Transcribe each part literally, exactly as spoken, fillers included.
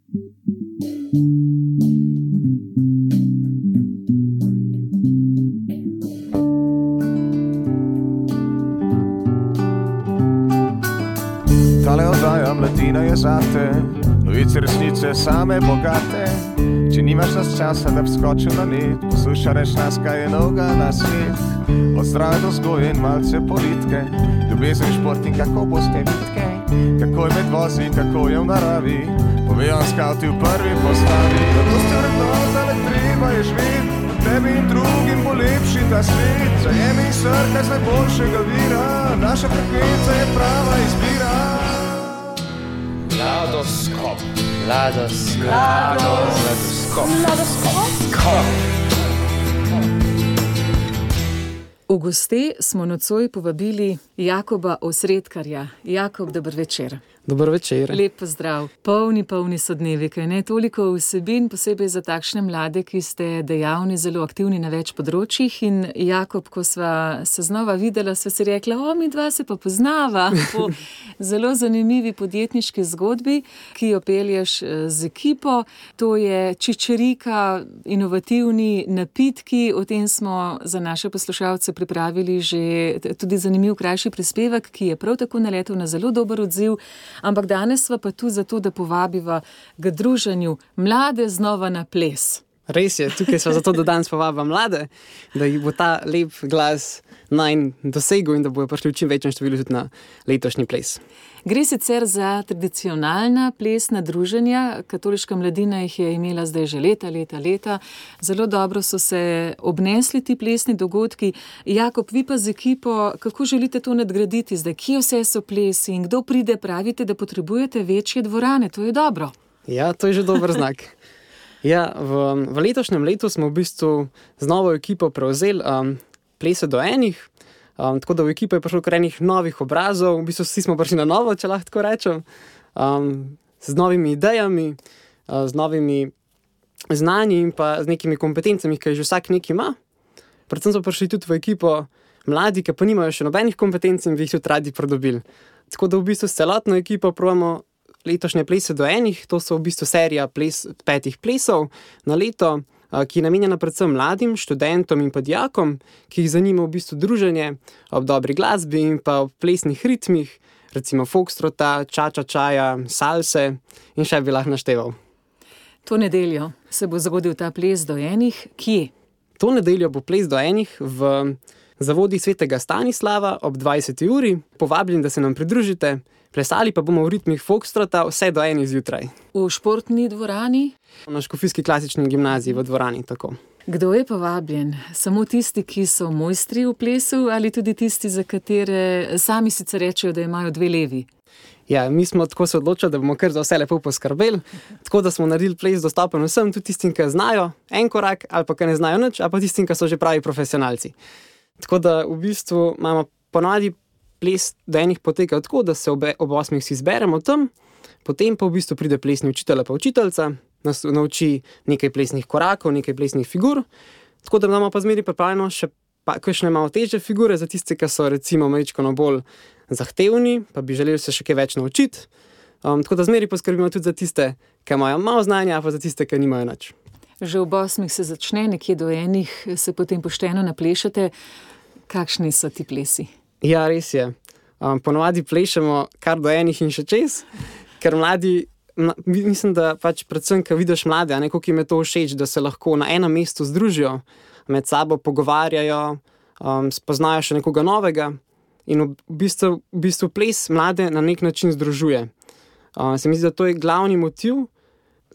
Tale oddaja Mladina je zate, novice resnice same bogate. Če nimaš nas časa, da bi skočil na net, poslušaj reč nas, kaj je novega na svet. Od zdrave do vzgoje in malce politike, ljubezen, šport in kako boste vitke, kako je med vozi, kako je v naravi, povejo skauti v prvi postavi. Zato ste vrednota, le treba je živeti, tebi in drugim bo lepši ta svet. Zajemi in srkaj z najboljšega vira, naša frekvenca je prava izbira. Mladoskop. Mladoskop. Mladoskop. Mladoskop. V goste smo nocoj povabili Jakoba Osredkarja. Jakob, dober večer. Dober večer. Lep pozdrav. Polni, polni so dnevi, kaj ne? Toliko vsebin, posebej za takšne mlade, ki ste dejavni, zelo aktivni na več področjih. In Jakob, ko sva se znova videla, sva si rekla, o, mi dva se pa poznava po zelo zanimivi podjetniški zgodbi, ki jo pelješ z ekipo. To je čičerika, inovativni napitki. O tem smo za naše poslušalce pripravili že tudi zanimiv krajši prispevek, ki je prav tako naletel na zelo dober odziv. Ampak danes sva pa tu zato, da povabiva k druženju mlade znova na ples. Res je, tukaj sva zato, da danes povabiva mlade, da jih bo ta lep glas najn dosegel in da bojo prišli v čim večjem številu tudi na letošnji ples. Gre sicer za tradicionalna plesna druženja, katoliška mladina jih je imela zdaj že leta, leta, leta. Zelo dobro so se obnesli ti plesni dogodki. Jakob, vi pa z ekipo, kako želite to nadgraditi zdaj? Kje vse so plesi in kdo pride? Pravite, da potrebujete večje dvorane, to je dobro. Ja, to je že dober znak. Ja, v, v letošnjem letu smo v bistvu z novo ekipo prevzeli um, plese do enih. Um, tako da v ekipo je prišlo kar enih novih obrazov, v bistvu vsi smo prišli na novo, če lahko tako rečem, um, z novimi idejami, uh, z novimi znanji in pa z nekimi kompetencami, ki že vsak nekaj ima. Predvsem so prišli tudi v ekipo mladi, ki pa nimajo še nobenih kompetenc in bi jih tudi radi pridobili. Tako da v bistvu s celotno ekipo probamo letošnje plese do enih, to so v bistvu serija ples, petih plesov na leto, ki je namenjena predvsem mladim, študentom in pa dijakom, ki jih zanima v bistvu druženje ob dobri glasbi in pa ob plesnih ritmih, recimo foxtrota, ča-ča-čaja, salse in še bi lahko našteval. To nedeljo se bo zgodil ta ples do enih. Kje? To nedeljo bo ples do enih v zavodi Svetega Stanislava ob dvajseti uri. Povabljeni, da se nam pridružite. Plesali pa bomo v ritmih foxtrota vse do enih zjutraj. V športni dvorani? Na Škofijski klasični gimnaziji v dvorani, tako. Kdo je povabljen? Samo tisti, ki so mojstri v plesu ali tudi tisti, za katere sami sicer rečejo, da imajo dve levi? Ja, mi smo tako se odločili, da bomo kar za vse lepo poskrbeli, tako da smo naredili ples dostopen vsem, tudi tistim, ki znajo en korak ali pa ki ne znajo nič, ali pa tistim, ki so že pravi profesionalci. Tako da v bistvu imamo ponavadi ples do enih poteka tako, da se ob, ob osmih si zberemo tam, potem pa v bistvu pride plesni učitelj pa učiteljca, nas nauči nekaj plesnih korakov, nekaj plesnih figur, tako da imamo pa zmeri pripravljeno še pa, kakšne malo težje figure za tiste, ki so recimo majčkeno bolj zahtevni, pa bi želeli se še kaj več naučiti. Um, tako da zmeri poskrbimo tudi za tiste, ki imajo malo znanja, pa za tiste, ki nimajo nič. Že ob osmih se začne, nekje do enih se potem pošteno naplešate. Kakšni so ti plesi? Ja, res je. Um, ponovadi plešemo kar do enih in še čez, ker mladi, mla, mislim, da pač predvsem, ko vidiš mlade, a neko, ki jim je to všeč, da se lahko na enem mestu združijo, med sabo pogovarjajo, um, spoznajo še nekoga novega in v bistvu, v bistvu ples mlade na nek način združuje. Um, se mi zdi, da to je glavni motiv,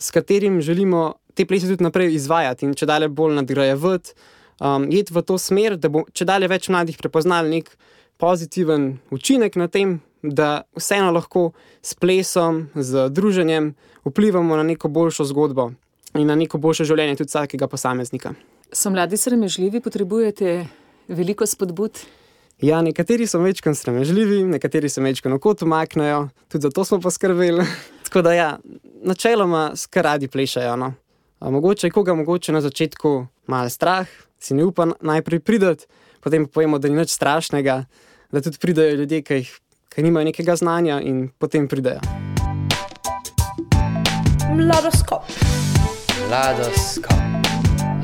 s katerim želimo te plese tudi naprej izvajati in če dalje bolj nadgrajevati, um, jeti v to smer, da bo če dalje več mladih prepoznali nek pozitiven učinek na tem, da vseeno lahko s plesom, z druženjem vplivamo na neko boljšo zgodbo in na neko boljše življenje tudi vsakega posameznika. So mladi sramežljivi, potrebujete veliko spodbud? Ja, nekateri so večkrat sramežljivi, nekateri se večkrat kot umaknejo, tudi za to smo poskrbeli. Tako da ja, načeloma kar radi plešajo. No. A mogoče je koga mogoče na začetku malo strah, si ne upa najprej prideti, potem pa povemo, da ni nič strašnega, da tudi pridejo ljudje, ki, jih, ki nimajo nekega znanja in potem pridejo. Mladoskop. Mladoskop.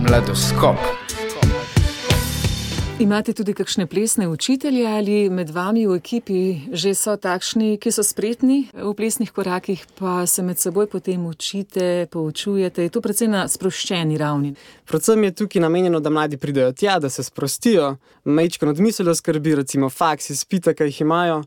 Mladoskop. Imate tudi kakšne plesne učitelje ali med vami v ekipi že so takšni, ki so spretni v plesnih korakih, pa se med seboj potem učite, poučujete? Je to predvsem na sproščeni ravni? Predvsem je tukaj namenjeno, da mladi pridejo tja, da se sprostijo, majčkeno odmislijo skrbi, recimo faks, izpita, ki jih imajo.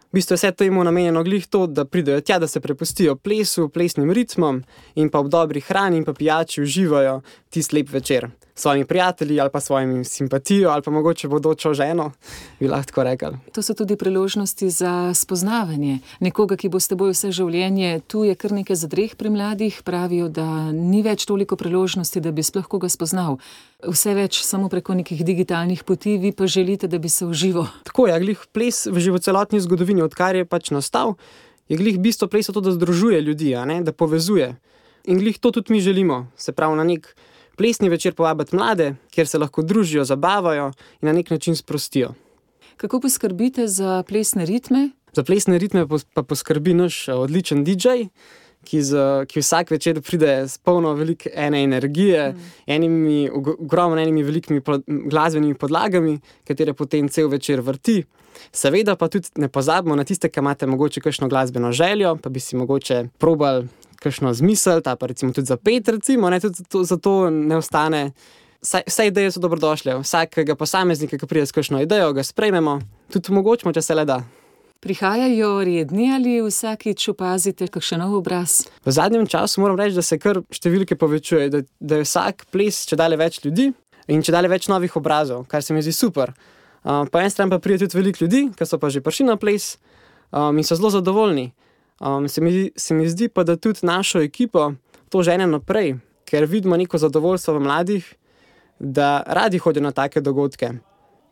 V bistvu je vse to jim namenjeno glih to, da pridejo tja, da se prepustijo plesu, plesnim ritmom in pa ob dobri hrani in pa pijači uživajo tisti lep večer s svojimi prijatelji ali pa svojimi simpatijo ali pa mogoče bodočo ženo, bi lahko rekel. To so tudi priložnosti za spoznavanje nekoga, ki bo s teboj vse življenje. Tu je kar nekaj zadreh pri mladih, pravijo, da ni več toliko priložnosti, da bi sploh koga spoznal. Vse več samo preko nekih digitalnih poti, vi pa želite, da bi se uživo. Tako je, glih ples v živocelotni zgodovini, odkar je pač nastal, je glih bistvo plesa to, da združuje ljudi, a ne, da povezuje. In glih to tudi mi želimo, se pravi na nek plesni večer povabiti mlade, kjer se lahko družijo, zabavajo in na nek način sprostijo. Kako poskrbite za plesne ritme? Za plesne ritme pa poskrbi naš odličen D J, ki, z, ki vsak večer pride s polno veliko ene energije, mm. enimi, ogromno enimi velikimi glasbenimi podlagami, katere potem cel večer vrti. Seveda pa tudi ne pozabimo na tiste, ki imate mogoče kakšno glasbeno željo, pa bi si mogoče probali kakšno zmisel, ta pa recimo tudi za pet, recimo, ne, tudi to, za to ne ostane. Vse, vse ideje so dobrodošle, vsakega posameznika, ki pride s kakšno idejo, ga sprejmemo, tudi omogočimo, če se le da. Prihajajo redni ali vsakič opazite kakšen nov obraz? V zadnjem času moram reči, da se kar številke povečuje, da, da je vsak ples čedalje več ljudi in čedalje več novih obrazov, kar se mi zdi super. Uh, po en stran pa pride tudi veliko ljudi, ki so pa že prišli na ples um, in so zelo zadovoljni. Um, se, mi, se mi zdi pa, da tudi našo ekipo to žene naprej, ker vidimo neko zadovoljstvo v mladih, da radi hodijo na take dogodke.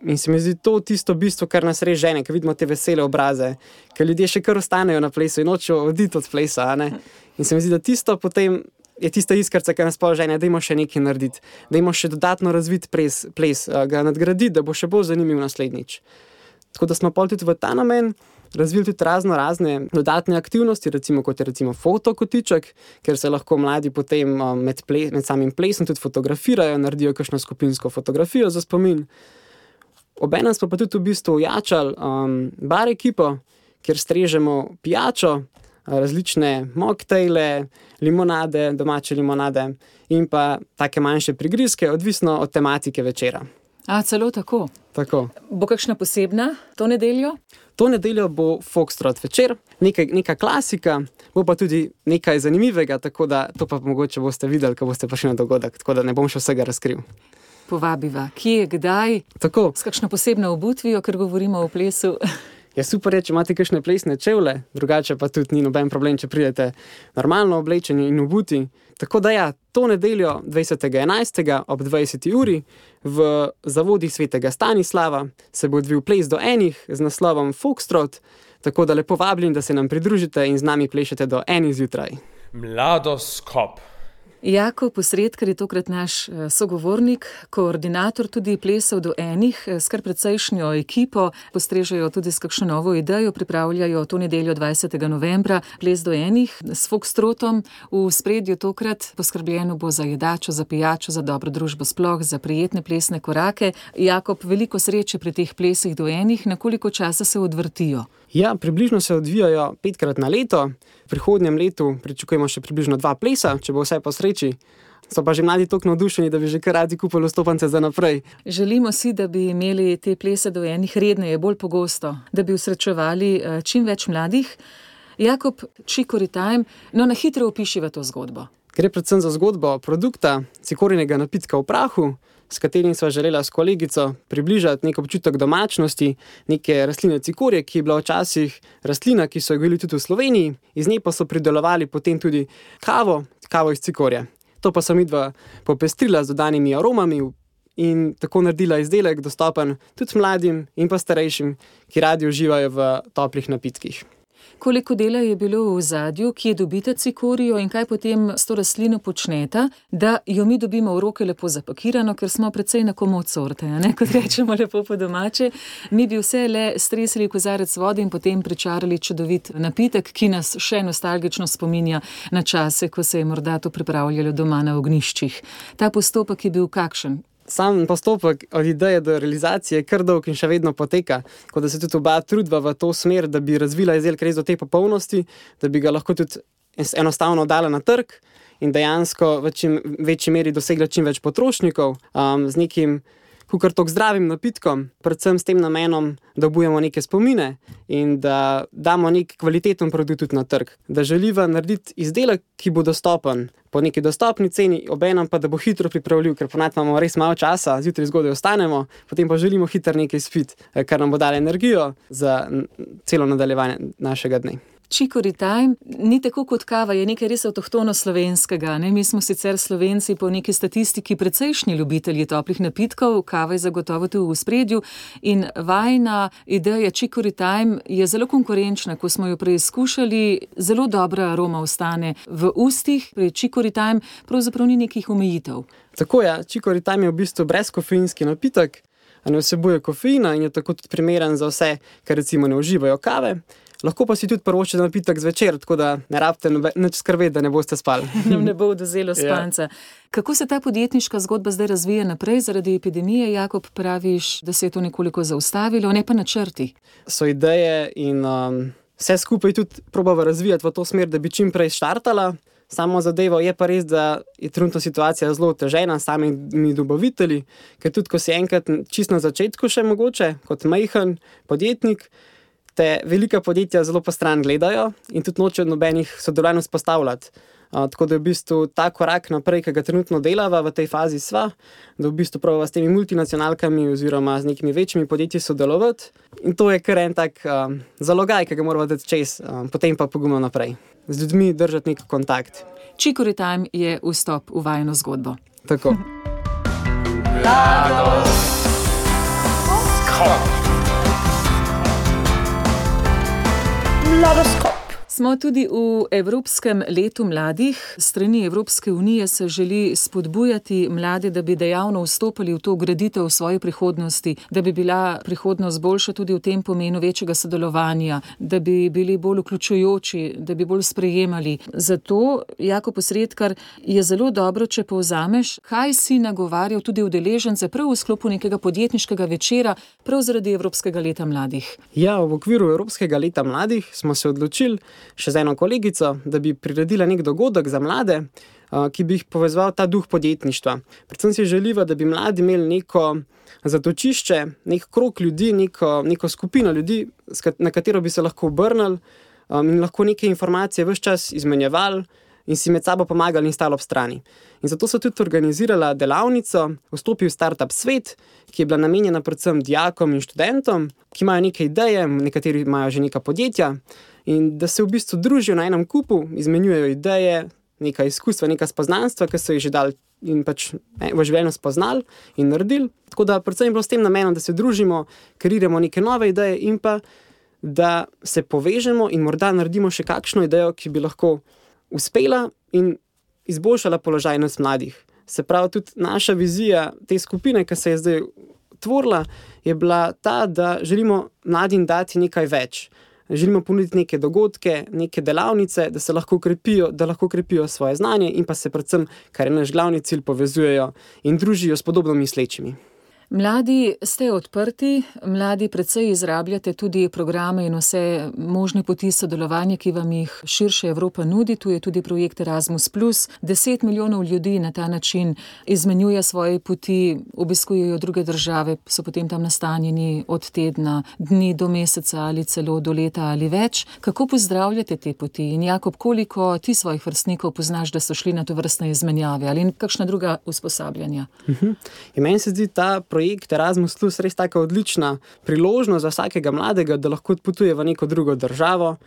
In se mi zdi to tisto bistvo, kar nas res žene, ker vidimo te vesele obraze, ker ljudje še kar ostanejo na plesu in nočejo oditi od plesa. Ne? In se mi zdi, da tisto potem je tista iskrca, ki nas pol žene, da imamo še nekaj narediti, da imamo še dodatno razvit ples, ples ga nadgraditi, da bo še bolj zanimiv naslednjič. Tako da smo pol tudi v ta namen razvili tudi razno razne dodatne aktivnosti, recimo kot je recimo fotokotiček, ker se lahko mladi potem med, ple, med samim plesom tudi fotografirajo, naredijo kakšno skupinsko fotografijo za spomin. Obenem smo pa tudi v bistvu ojačali um, bar ekipo, kjer strežemo pijačo, različne mocktaile, limonade, domače limonade in pa take manjše prigrizke, odvisno od tematike večera. A, celo tako? Tako. Bo kakšna posebna to nedeljo? To nedeljo bo foxtrot večer, nekaj, neka klasika, bo pa tudi nekaj zanimivega, tako da to pa mogoče boste videli, ko boste prišli na dogodek, tako da ne bom še vsega razkril. Povabiva. Kje, kdaj? Tako. S kakšno posebno obutvijo, ker govorimo o plesu? Je super, če imate kakšne plesne čevlje, drugače pa tudi ni noben problem, če pridete normalno oblečeni in obuti. Tako da ja, to nedeljo dvajsetega enajstega ob dvajseti uri v zavodih Svetega Stanislava se bo odvil ples do enih z naslovom Foxtrot, tako da lepo vabljeni, da se nam pridružite in z nami plešete do enih zjutraj. Mladoskop. Jakob Posredkar je tokrat naš sogovornik, koordinator tudi plesov do enih, s kar precejšnjo ekipo, postrežejo tudi s kakšno novo idejo, pripravljajo to nedeljo dvajsetega novembra ples do enih s foxtrotom. V spredju tokrat poskrbljeno bo za jedačo, za pijačo, za dobro družbo sploh, za prijetne plesne korake. Jakob, veliko sreče pri teh plesih do enih, na koliko časa se odvrtijo? Ja, približno se odvijajo petkrat na leto. V prihodnjem letu pričakujemo še približno dva plesa, če bo vse po sreči. So pa že mladi toliko navdušeni, da bi že kar radi kupili vstopnice za naprej. Želimo si, da bi imeli te plese do enih redneje, bolj pogosto, da bi usrečevali čim več mladih. Jakob, Chicory Time, no na hitro opišiva to zgodbo. Gre predvsem za zgodbo produkta cikorinega napitka v prahu, s katerim sva želela s kolegico približati nek občutek domačnosti, neke rastline cikorje, ki je bila včasih rastlina, ki so jo gojili tudi v Sloveniji, iz nje pa so pridelovali potem tudi kavo, kavo iz cikorja. To pa sem midva popestrila z dodanimi aromami in tako naredila izdelek dostopen tudi mladim in pa starejšim, ki radi uživajo v toplih napitkih. Koliko dela je bilo v ozadju, kje dobite cikorijo in kaj potem s to rastlino počnete, da jo mi dobimo v roke lepo zapakirano, ker smo precej na komod sorte, ne? Kot rečemo lepo po domače. Mi bi vse le stresili kozarec vode in potem pričarali čudovit napitek, ki nas še nostalgično spominja na čase, ko se je morda to pripravljalo doma na ognjiščih. Ta postopek je bil kakšen? Sam postopek od ideje do realizacije je kar dolg in še vedno poteka, kot da se tudi oba trudva v to smer, da bi razvila izdelek res do te popolnosti, da bi ga lahko tudi enostavno dala na trg in dejansko v čim večji meri dosegla čim več potrošnikov um, z nekim kukar tok zdravim napitkom, predvsem s tem namenom, da obujemo neke spomine in da damo nek kvaliteten produkt tudi na trg. Da želiva narediti izdelek, ki bo dostopen po neki dostopni ceni, obenem pa, da bo hitro pripravljiv, ker ponavadi imamo res malo časa, zjutraj zgodaj ostanemo, potem pa želimo hitro nekaj spiti, kar nam bo dalo energijo za celo nadaljevanje našega dne. Chicory time ni tako kot kava, je nekaj res avtohtono slovenskega. Ne? Mi smo sicer Slovenci po neki statistiki precejšnji ljubitelji toplih napitkov, kava je zagotovo tu v spredju in vajna ideja Chicory time je zelo konkurenčna. Ko smo jo preizkušali, zelo dobra aroma ostane v ustih. Pri Chicory time pravzaprav ni nekih omejitev. Tako je, Chicory time je v bistvu brezkofeinski napitek, ne vsebuje kofeina in je tako tudi primeren za vse, ki recimo ne uživajo kave. Lahko pa si tudi prvoščite napitek zvečer, tako da ne rabite nič skrbeti, da ne boste spali. Nam ne bo odvzelo spanca. Ja. Kako se ta podjetniška zgodba zdaj razvija naprej zaradi epidemije? Jakob, praviš, da se je to nekoliko zaustavilo, ne pa načrti. So ideje in um, vse skupaj tudi probava razvijati v to smer, da bi čim prej štartala. Samo zadevo je pa res, da je trenutno situacija zelo otežena s samimi dobavitelji, ker tudi ko si enkrat čisto na začetku še mogoče, kot majhen podjetnik, te velika podjetja zelo postran gledajo in tudi nočejo nobenih sodelovanj vzpostavljati. Uh, tako da je v bistvu ta korak naprej, ki ga trenutno delava v tej fazi sva, da v bistvu probava s temi multinacionalkami oziroma z nekimi večjimi podjetji sodelovati. In to je kar en tak um, zalogaj, ki ga moramo dati čez, um, potem pa pogumno naprej. Z ljudmi držati nek kontakt. Chicory time je vstop v vajino zgodbo. Tako. Mladoskop. Smo tudi v Evropskem letu mladih. Strani Evropske unije se želi spodbujati mlade, da bi dejavno vstopali v to graditev svoje prihodnosti, da bi bila prihodnost boljša tudi v tem pomenu večjega sodelovanja, da bi bili bolj vključujoči, da bi bolj sprejemali. Zato, Jakob Osredkar, je zelo dobro, če povzameš, kaj si nagovarjal tudi udeležence prav v sklopu nekega podjetniškega večera, prav zaradi Evropskega leta mladih. Ja, v okviru Evropskega leta mladih smo se odločili še z eno kolegico, da bi priredila nek dogodek za mlade, ki bi jih povezoval ta duh podjetništva. Predvsem si želiva, da bi mladi imeli neko zatočišče, nek krog ljudi, neko, neko skupino ljudi, na katero bi se lahko obrnili in lahko neke informacije ves čas izmenjevali in si med sabo pomagali in stali ob strani. In zato so tudi organizirala delavnico Vstopi v startup svet, ki je bila namenjena predvsem dijakom in študentom, ki imajo neke ideje, nekateri imajo že neka podjetja, in da se v bistvu družijo na enem kupu, izmenjujejo ideje, neka izkustva, neka spoznanstva, ki so jih že dali in pač v življenju spoznali in naredili. Tako da predvsem je bilo s tem namenom, da se družimo, kreiramo neke nove ideje in pa, da se povežemo in morda naredimo še kakšno idejo, ki bi lahko uspela in izboljšala položaj nas mladih. Se pravi, tudi naša vizija te skupine, ki se je zdaj tvorila, je bila ta, da želimo mladim dati nekaj več. Želimo ponuditi neke dogodke, neke delavnice, da se lahko krepijo, da lahko krepijo svoje znanje in pa se predvsem, kar je naš glavni cilj, povezujejo in družijo s podobno mislečimi. Mladi ste odprti, mladi precej izrabljate tudi programe in vse možne poti sodelovanja, ki vam jih širše Evropa nudi. Tu je tudi projekt Erasmus plus. Deset milijonov ljudi na ta način izmenjuje svoje poti, obiskujejo druge države, so potem tam nastanjeni od tedna, dni do meseca ali celo do leta ali več. Kako pozdravljate te poti? In Jakob, koliko ti svojih vrstnikov poznaš, da so šli na to vrstne izmenjave ali kakšna druga usposabljanja? Uh-huh. In meni se zdi ta projekt Erasmus plus res taka odlična priložnost za vsakega mladega, da lahko potuje v neko drugo državo,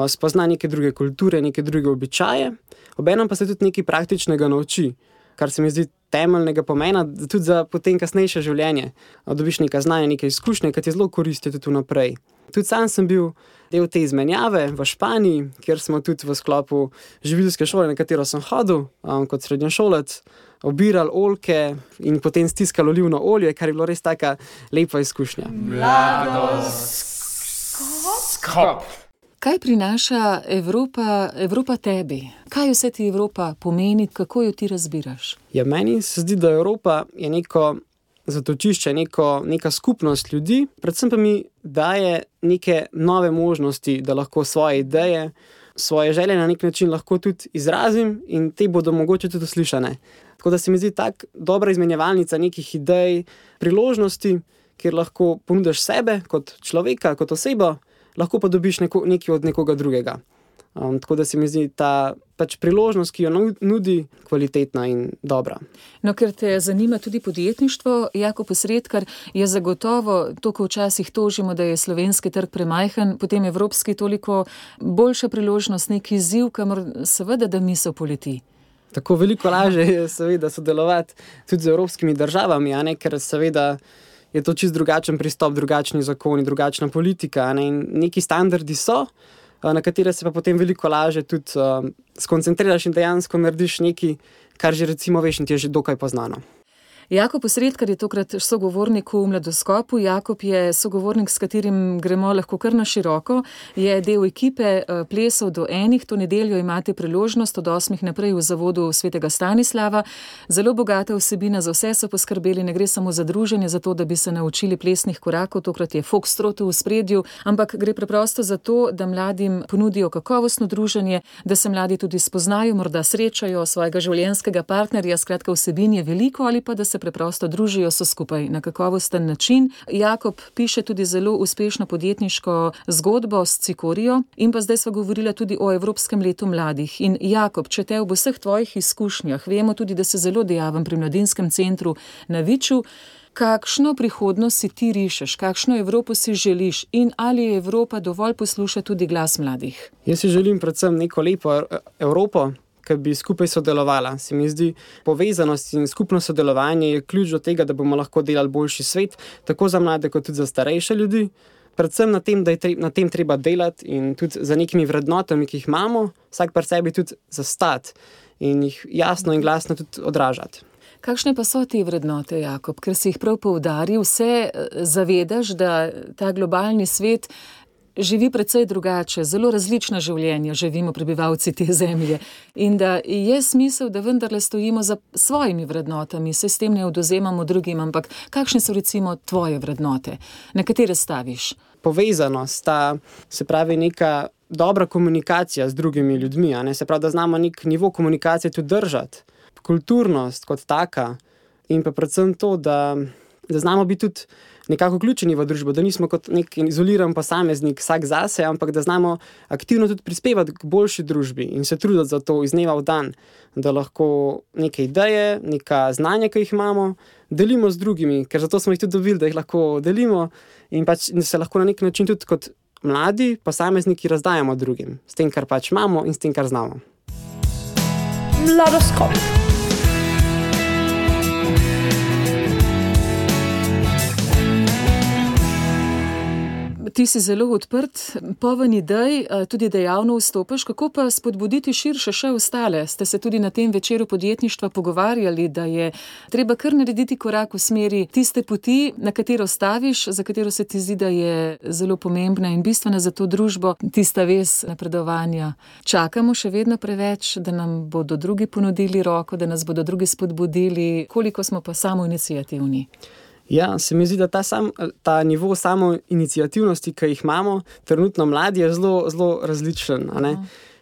spozna neke druge kulture, neke druge običaje, obenem pa se tudi nekaj praktičnega nauči, kar se mi zdi temeljnega pomena, tudi za potem kasnejše življenje. Dobiš neka znanja, neke izkušnje, ki ti zelo koristijo tudi naprej. Tudi sam sem bil del te izmenjave v Španiji, kjer smo tudi v sklopu živilske šole, na katero sem hodil um, kot srednješolec, obirali oljke in potem stiskali olivno olje, kar je bilo res taka lepa izkušnja. Mladoskop. Kaj prinaša Evropa, Evropa tebi? Kaj vse ti Evropa pomeni, kako jo ti razbiraš? Ja, meni se zdi, da Evropa je neko zatočišče, neko, neka skupnost ljudi, predvsem pa mi daje neke nove možnosti, da lahko svoje ideje, svoje želje na nek način lahko tudi izrazim in te bodo mogoče tudi uslišane. Tako da se mi zdi tak dobra izmenjevalnica nekih idej, priložnosti, kjer lahko ponudiš sebe kot človeka, kot osebo, lahko pa dobiš neko, nekaj od nekoga drugega. Um, tako da se mi zdi ta pač priložnost, ki jo nudi, kvalitetna in dobra. No, ker te zanima tudi podjetništvo, Jakob Osredkar, je zagotovo to, ko včasih tožimo, da je slovenski trg premajhen, potem evropski toliko boljša priložnost, neki izziv, kamor seveda da misel poleti. Tako veliko lažje je seveda sodelovati tudi z evropskimi državami, a ne, ker seveda je to čist drugačen pristop, drugačni zakoni, drugačna politika, a ne, in neki standardi so, na katere se pa potem veliko lažje tudi uh, skoncentriraš in dejansko narediš nekaj, kar že recimo veš in ti je že dokaj poznano. Jakob Osredkar je tokrat sogovornik v Mladoskopu. Jakob je sogovornik, s katerim gremo lahko kar na široko. Je del ekipe Plesov do enih. To nedeljo imate priložnost od osmih naprej v zavodu Svetega Stanislava. Zelo bogata vsebina, za vse so poskrbeli. Ne gre samo za druženje, za to, da bi se naučili plesnih korakov. Tokrat je foxtrot v spredju, ampak gre preprosto za to, da mladim ponudijo kakovostno druženje, da se mladi tudi spoznajo, morda srečajo svojega življenjskega partnerja. Skratka, vsebin je veliko, ali pa da se preprosto družijo so skupaj na kakovosten način. Jakob piše tudi zelo uspešno podjetniško zgodbo s Cikorijo in pa zdaj sva govorila tudi o Evropskem letu mladih. In Jakob, če te ob vseh tvojih izkušnjah, vemo tudi, da se zelo dejaven pri Mladinskem centru na Viču, kakšno prihodnost si ti rišeš, kakšno Evropo si želiš in ali je Evropa dovolj posluša tudi glas mladih? Jaz si želim predvsem neko lepo Evropo, ki bi skupaj sodelovala. Se mi zdi, povezanost in skupno sodelovanje je ključ do tega, da bomo lahko delali boljši svet, tako za mlade, kot tudi za starejše ljudi. Predvsem na tem, da je tre, na tem treba delati in tudi za nekimi vrednotami, ki jih imamo, vsak par sebi tudi zastati in jih jasno in glasno tudi odražati. Kakšne pa so te vrednote, Jakob? Ker si jih prav poudaril, vse zavedaš, da ta globalni svet živi precej drugače, zelo različna življenja živimo prebivalci te zemlje in da je smisel, da vendarle stojimo za svojimi vrednotami, se s tem ne odvzemamo drugim, ampak kakšne so recimo tvoje vrednote, na katere staviš? Povezanost, ta, se pravi neka dobra komunikacija z drugimi ljudmi, a ne, se pravi, da znamo nek nivo komunikacije tudi držati, kulturnost kot taka in pa predvsem to, da, da znamo biti tudi nekako vključeni v družbo, da nismo kot nek izoliran posameznik vsak zase, ampak da znamo aktivno tudi prispevati k boljši družbi in se truditi za to iz dneva v dan, da lahko neke ideje, neka znanja, ki jih imamo, delimo z drugimi, ker zato smo jih tudi dobili, da jih lahko delimo in pač se lahko na nek način tudi kot mladi posamezniki razdajamo drugim, s tem, kar pač imamo in s tem, kar znamo. Mladoskop. Ti si zelo odprt, poln idej, tudi dejavno vstopaš. Kako pa spodbuditi širše še ostale? Ste se tudi na tem večeru podjetništva pogovarjali, da je treba kar narediti korak v smeri tiste poti, na katero staviš, za katero se ti zdi, da je zelo pomembna in bistvena za to družbo, tista vez napredovanja. Čakamo še vedno preveč, da nam bodo drugi ponudili roko, da nas bodo drugi spodbudili, koliko smo pa samoiniciativni? Ja, se mi zdi, da ta, sam, ta nivo samoiniciativnosti, ki jih imamo, trenutno mladi, je zelo, zelo različen. A ne?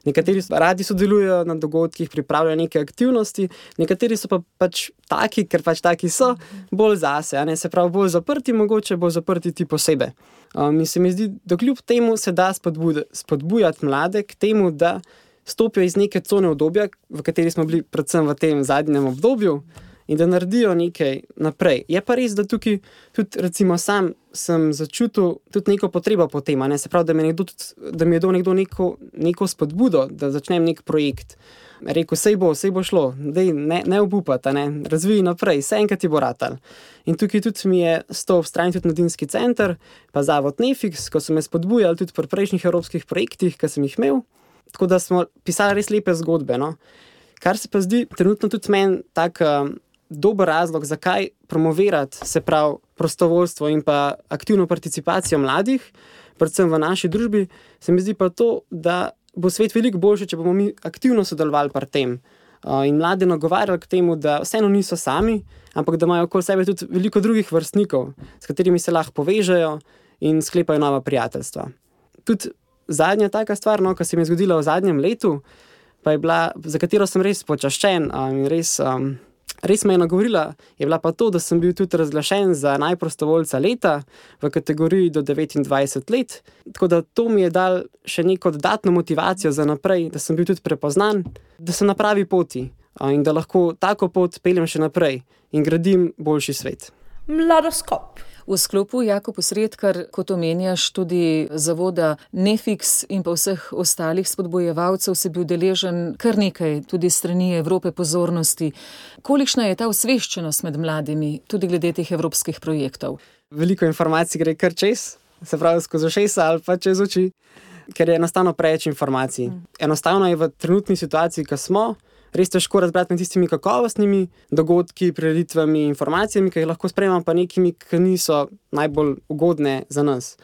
Nekateri radi sodelujejo na dogodkih, pripravljajo neke aktivnosti, nekateri so pa pač taki, ker pač taki so, bolj zase, a ne? Se pravi bolj zaprti, mogoče bolj zaprti ti posebej. Um, in se mi zdi, da kljub temu se da spodbujati mlade k temu, da stopijo iz neke cone obdobja, v kateri smo bili predvsem v tem zadnjem obdobju, in da naredijo nekaj naprej. Je pa res, da tukaj tudi recimo sam sem začutil tudi neko potrebo po tem, ne? Se pravi, da mi je nekdo, da mi je dal nekdo neko, neko spodbudo, da začnem nek projekt. Rekel, sej bo, sej bo šlo, dej, ne, ne obupati, ne? Razvij naprej, vse enkrat ti bo ratal. In tukaj tudi mi je stal ob strani tudi Mladinski center, pa zavod Nefix, ko so me spodbujali tudi pri prejšnjih evropskih projektih, ki sem jih imel. Tako da smo pisali res lepe zgodbe. No? Kar se pa zdi trenutno tudi meni tak uh, dober razlog, zakaj promovirati, se pravi, prostovoljstvo in pa aktivno participacijo mladih, predvsem v naši družbi, se mi zdi pa to, da bo svet veliko boljši, če bomo mi aktivno sodelovali pri tem uh, in mlade nagovarjali k temu, da vseeno niso sami, ampak da imajo okoli sebe tudi veliko drugih vrstnikov, s katerimi se lahko povežejo in sklepajo nova prijateljstva. Tudi zadnja taka stvar, no, ki se mi je zgodila v zadnjem letu, pa je bila, za katero sem res počaščen um, in res, um, res me je nagovorila, je bila pa to, da sem bil tudi razglašen za najprostovoljca leta v kategoriji do devetindvajset let, tako da to mi je dal še neko dodatno motivacijo za naprej, da sem bil tudi prepoznan, da sem na pravi poti uh, in da lahko tako pot peljem še naprej in gradim boljši svet. Mladoskop. V sklopu Jakob Osredkar, kot omenjaš, tudi zavoda Nefix in pa vseh ostalih spodbojevalcev si bil deležen kar nekaj, tudi strani Evrope pozornosti. Kolikšna je ta osveščenost med mladimi, tudi glede teh evropskih projektov? Veliko informacij gre kar čez, se pravi skozi ušesa ali pa čez oči, ker je enostavno preveč informacij. Enostavno je v trenutni situaciji, ko smo, res težko razbrati med tistimi kakovostnimi dogodki, prireditvami, informacijami, ki jih lahko sprejemam, pa nekimi, ki niso najbolj ugodne za nas.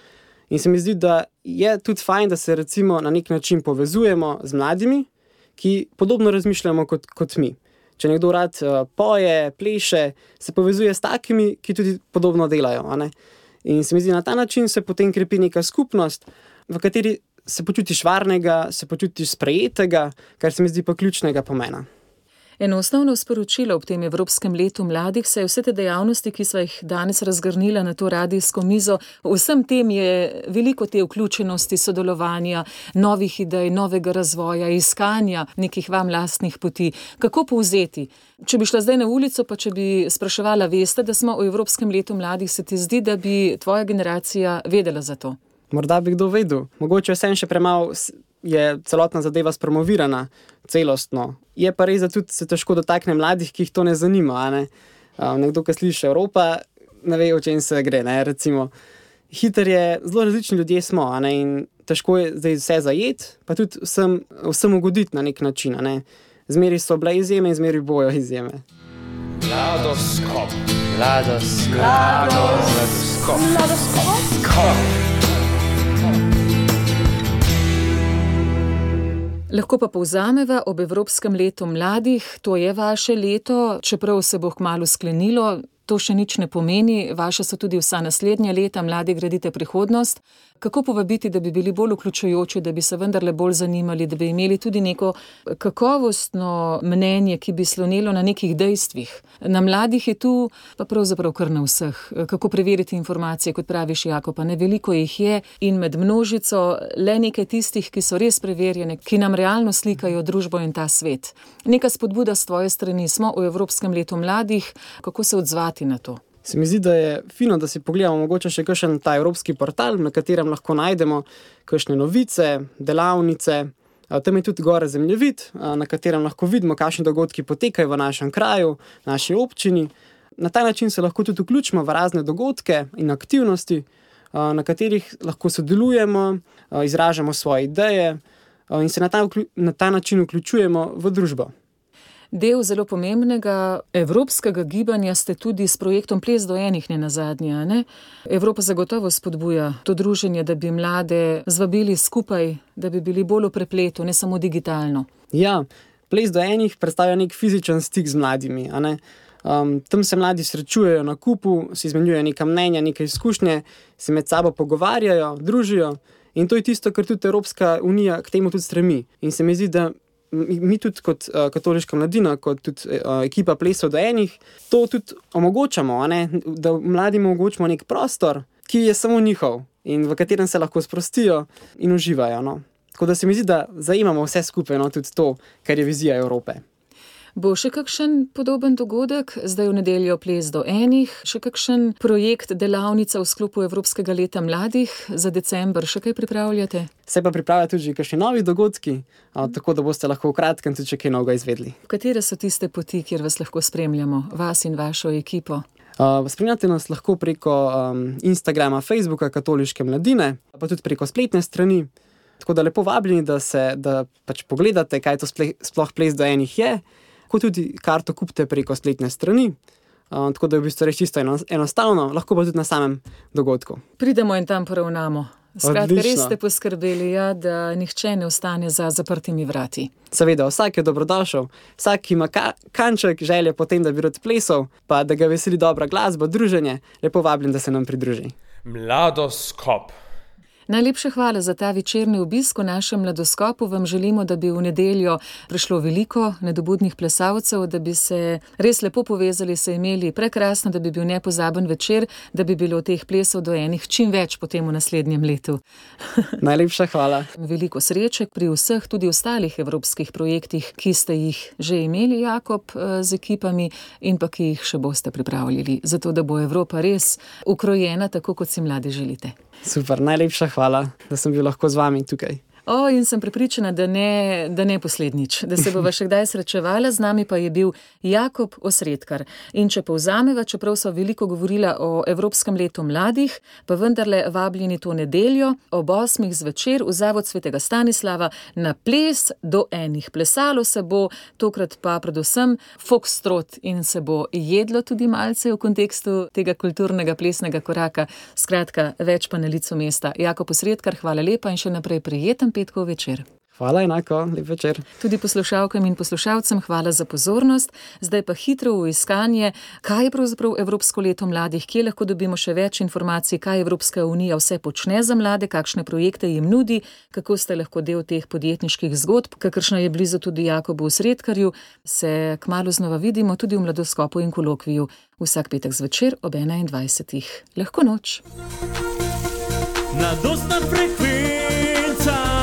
In se mi zdi, da je tudi fajn, da se recimo na nek način povezujemo z mladimi, ki podobno razmišljamo kot, kot mi. Če nekdo rad uh, poje, pleše, se povezuje s takimi, ki tudi podobno delajo. A ne? In se mi zdi, na ta način se potem krepi neka skupnost, v kateri se počutiš varnega, se počutiš sprejetega, kar se mi zdi pa ključnega pomena. Eno osnovno sporočilo ob tem Evropskem letu mladih se je vse te dejavnosti, ki sva jih danes razgrnila na to radijsko mizo. Vsem tem je veliko te vključenosti, sodelovanja, novih idej, novega razvoja, iskanja nekih vam lastnih poti. Kako povzeti? Če bi šla zdaj na ulico, pa če bi spraševala, veste, da smo v Evropskem letu mladih, se ti zdi, da bi tvoja generacija vedela za to? Morda bi kdo vedel. Mogoče vsem še premalo je celotna zadeva spromovirana celostno. Je pa res, da tudi se težko dotakne mladih, ki jih to ne zanima. A ne? Um, nekdo, ki sliši Evropa, ne ve, o čem se gre. Ne? Recimo, hiter je, zelo različni ljudje smo, a ne? In težko je zdaj vse zajeti, pa tudi vsem, vsem ugoditi na nek način. A ne? Zmeri so bile izjeme in zmeri bojo izjeme. Mladoskop. Mladoskop. Mladoskop. Mladoskop. Lahko pa povzameva, ob Evropskem letu mladih, to je vaše leto, čeprav se bo kmalu sklenilo, to še nič ne pomeni, vaše so tudi vsa naslednja leta, mladi gradite prihodnost. Kako povabiti, da bi bili bolj vključujoči, da bi se vendarle bolj zanimali, da bi imeli tudi neko kakovostno mnenje, ki bi slonelo na nekih dejstvih. Na mladih je tu, pa pravzaprav kar na vseh. Kako preveriti informacije, kot praviš, Jakob, ne veliko jih je in med množico le nekaj tistih, ki so res preverjene, ki nam realno slikajo družbo in ta svet. Neka spodbuda s tvoje strani, smo v Evropskem letu mladih, kako se odzvati na to? Se mi zdi, da je fino, da si pogledamo mogoče še kakšen ta evropski portal, na katerem lahko najdemo kakšne novice, delavnice. Tam je tudi gore zemljevid, na katerem lahko vidimo, kakšni dogodki potekajo v našem kraju, naši občini. Na ta način se lahko tudi vključimo v razne dogodke in aktivnosti, na katerih lahko sodelujemo, izražamo svoje ideje in se na ta, na ta način vključujemo v družbo. Del zelo pomembnega evropskega gibanja ste tudi s projektom Ples do enih ne nazadnje, ne? Evropa zagotovo spodbuja to druženje, da bi mlade zvabili skupaj, da bi bili bolj v prepletu, ne samo digitalno. Ja, Ples do enih predstavlja nek fizičen stik z mladimi, a ne? Um, tam se mladi srečujejo na kupu, si izmenjujejo neka mnenja, neke izkušnje, se med sabo pogovarjajo, družijo in to je tisto, kar tudi Evropska unija k temu tudi stremi. In se mi zdi, da mi tudi kot uh, katoliška mladina, kot tudi uh, ekipa Plesov do enih, to tudi omogočamo, a ne? Da mladim omogočimo nek prostor, ki je samo njihov in v katerem se lahko sprostijo in uživajo. No? Tako da se mi zdi, da zajemamo vse skupaj, no? Tudi to, kar je vizija Evrope. Bo še kakšen podoben dogodek, zdaj v nedeljo ples do enih, še kakšen projekt, delavnica v sklopu Evropskega leta mladih za december, še kaj pripravljate? Se pa pripravlja tudi kakšni novi dogodki, a, tako da boste lahko v kratkem tudi kaj novega izvedli. Katere so tiste poti, kjer vas lahko spremljamo, vas in vašo ekipo? Uh, spremljate nas lahko preko um, Instagrama, Facebooka Katoliške mladine, pa tudi preko spletne strani. Tako da lepo vabljeni, da, se, da pač pogledate, kaj to sple, sploh ples do enih je, kot tudi karto kupite preko spletne strani. Uh, tako da je v bistvu reč čisto enostavno, lahko pa tudi na samem dogodku. Pridemo in tam poravnamo. Skratka, res Odlično. ste poskrbeli, ja, da nihče ne ostane za zaprtimi vrati. Seveda, vsak je dobrodošel, vsak ima ka kanček želje potem, da bi rad plesal, pa da ga veseli dobra glasba, druženje, lepo vabljen, da se nam pridruži. Mladoskop. Najlepša hvala za ta večerni obisk v našem mladoskopu. Vam želimo, da bi v nedeljo prišlo veliko nedobudnih plesalcev, da bi se res lepo povezali, se imeli prekrasno, da bi bil nepozaben večer, da bi bilo teh plesov do enih čim več potem v naslednjem letu. Najlepša hvala. Veliko sreče pri vseh tudi ostalih evropskih projektih, ki ste jih že imeli, Jakob, z ekipami in pa ki jih še boste pripravljali, zato da bo Evropa res ukrojena tako, kot si mladi želite. Super, najlepša hvala, da sem bil lahko z vami tukaj. O, in sem prepričana, da ne, da ne poslednjič, da se bova še kdaj srečevala, z nami pa je bil Jakob Osredkar. In če povzameva, čeprav so veliko govorila o Evropskem letu mladih, pa vendarle vabljeni to nedeljo ob osmih zvečer v Zavod svetega Stanislava na ples do enih. Plesalo se bo, tokrat pa predvsem foxtrot in se bo jedlo tudi malce v kontekstu tega kulturnega plesnega koraka. Skratka, več pa na licu mesta. Jakob Osredkar, hvala lepa in še naprej prijeten petkov večer. Hvala, enako, lep večer. Tudi poslušalkam in poslušalcem hvala za pozornost. Zdaj pa hitro v iskanje, kaj je pravzaprav Evropsko leto mladih, kje lahko dobimo še več informacij, kaj Evropska unija vse počne za mlade, kakšne projekte jim nudi, kako ste lahko del teh podjetniških zgodb, kakršna je blizu tudi Jakobu Osredkarju. Se kmalu znova vidimo tudi v Mladoskopu in kolokviju vsak petek zvečer ob enaindvajsetih. Lahko noč. Mladostna frekvenca.